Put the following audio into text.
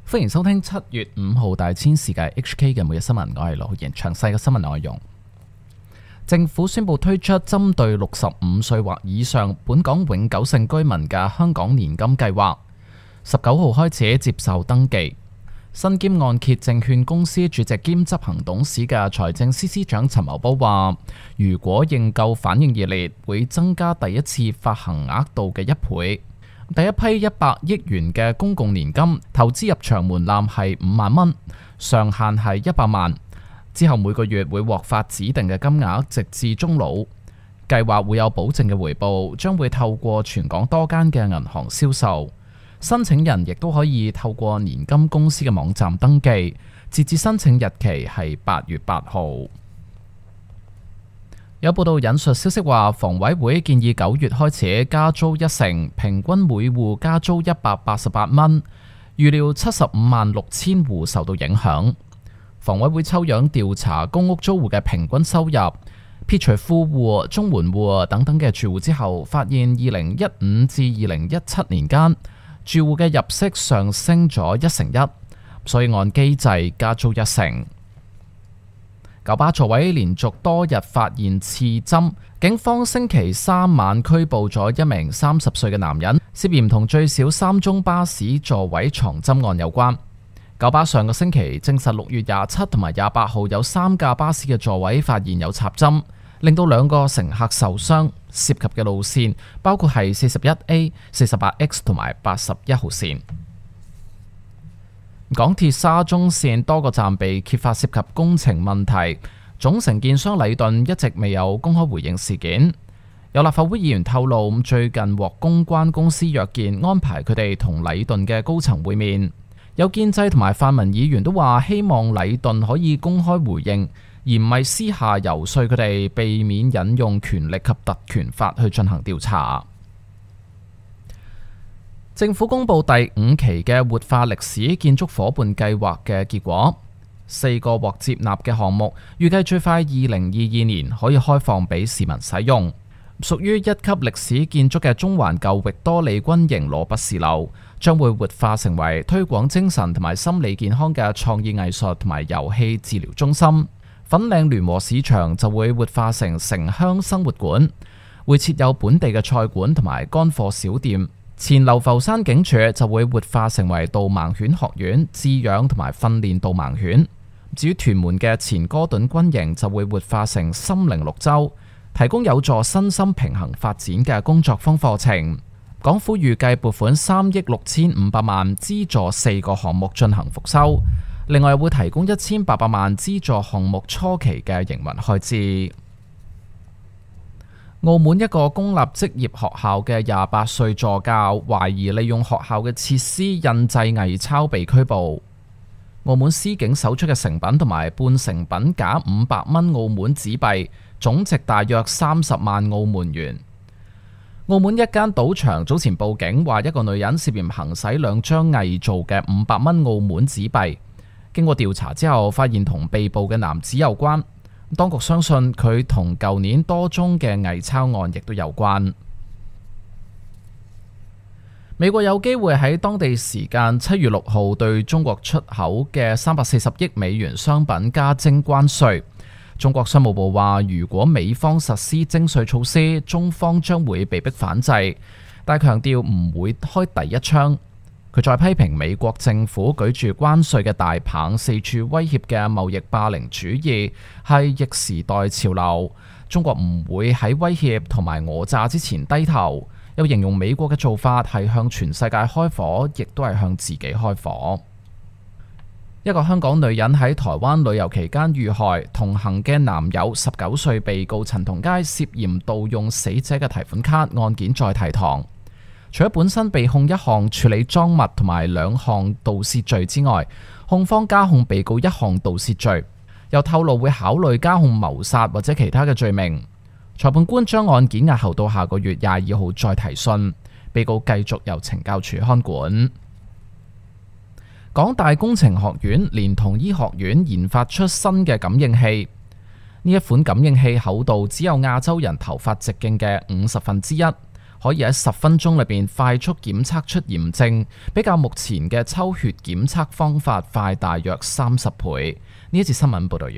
歡迎收聽7月5號大千世界 HK 嘅每日新聞，我係羅浩然。詳細嘅新聞內容，政府宣布推出針對65歲或以上本港永久性居民嘅香港年金計劃，19號開始接受登記。身兼按揭證券公司主席兼執行董事嘅財政司司長陳茂波話，如果認購反應熱烈，會增加第一次發行額度嘅1倍。第一批100億元嘅公共年金投資入場門檻係5萬蚊，上限係100萬。之後每個月會獲發指定嘅金額，直至終老。計劃會有保證嘅回報，將會透過全港多間嘅銀行銷售。申請人亦都可以透過年金公司嘅網站登記，截至申請日期係8月8號。有報道引述消息話，房委會建議9月開始加租1成，平均每戶加租188蚊，預料75萬6千戶受到影響。房委會抽樣調查公屋租戶嘅平均收入，撇除富戶、綜援戶等等嘅住戶之後，發現2015至2017年間，住戶嘅入息上升咗1成1，所以按機制加租1成。九巴座位連續多日發現刺針，警方星期3晚拘捕咗一名30歲嘅男人，涉嫌同最少3宗巴士座位藏針案有關。九巴上個星期證實6月27同埋28號有3架巴士嘅座位發現有插針，令到2個乘客受傷。涉及嘅路線包括係41A、48X 同埋81號線。港鐵沙中線多個站被揭發涉及工程問題，總承建商禮頓一直未有公開回應事件。有立法會議員透露，最近獲公關公司約見，安排佢哋同禮頓嘅高層會面。有建制同埋泛民議員都話，希望禮頓可以公開回應，而唔係私下游說佢哋，避免引用權力及特權法去進行調查。政府公布第5期嘅活化歷史建築伙伴計劃嘅結果，4個獲接納嘅項目，預計最快2022年可以開放俾市民使用。屬於1級歷史建築嘅中環舊域多利軍營羅拔士樓，將會活化成為推廣精神同埋心理健康嘅創意藝術同埋遊戲治療中心。粉嶺聯和市場就會活化成城鄉生活館，會設有本地嘅菜館同埋乾貨小店。前流浮山警署就會活化成為導盲犬學院，飼養同埋訓練導盲犬。至於屯門嘅前哥頓軍營就會活化成心靈綠洲，提供有助身心平衡發展嘅工作坊課程。港府預計撥款3億6500萬，資助4個項目進行復修，另外會提供1800萬資助項目初期嘅營運開支。澳門一個公立職業學校嘅28歲助教，懷疑利用學校嘅設施印製偽鈔被拘捕。澳門司警搜出嘅成品同埋半成品假500蚊澳門紙幣，總值大約30萬澳門元。澳門一間賭場早前報警，話一個女人涉嫌行使2張偽造嘅500蚊澳門紙幣。經過調查之後，發現同被捕嘅男子有關。當局相信佢同舊年多宗嘅偽鈔案亦都有關。美國有機會喺當地時間7月6號對中國出口嘅340億美元商品加徵關稅。中國商務部話，如果美方實施徵稅措施，中方將會被迫反制，但強調唔會開第一槍。佢再批評美國政府舉住關稅嘅大棒，四處威脅嘅貿易霸凌主義係逆時代潮流。中國唔會喺威脅同埋訛詐之前低頭。又形容美國嘅做法係向全世界開火，亦都係向自己開火。一個香港女人喺台灣旅遊期間遇害，同行嘅男友19歲被告陳同佳涉嫌盜用死者嘅提款卡，案件再提堂。除咗本身被控1項處理贓物同埋2項盜竊罪之外，控方加控被告1項盜竊罪，又透露會考慮加控謀殺或者其他嘅罪名。裁判官將案件押後到下個月22號再提訊，被告繼續由懲教署看管。港大工程學院連同醫學院研發出新嘅感應器，呢一款感應器厚度只有亞洲人頭髮直徑嘅50分之一。可以喺10分鐘裏邊快速檢測出炎症，比較目前嘅抽血檢測方法快大約30倍。呢一節新聞報道完。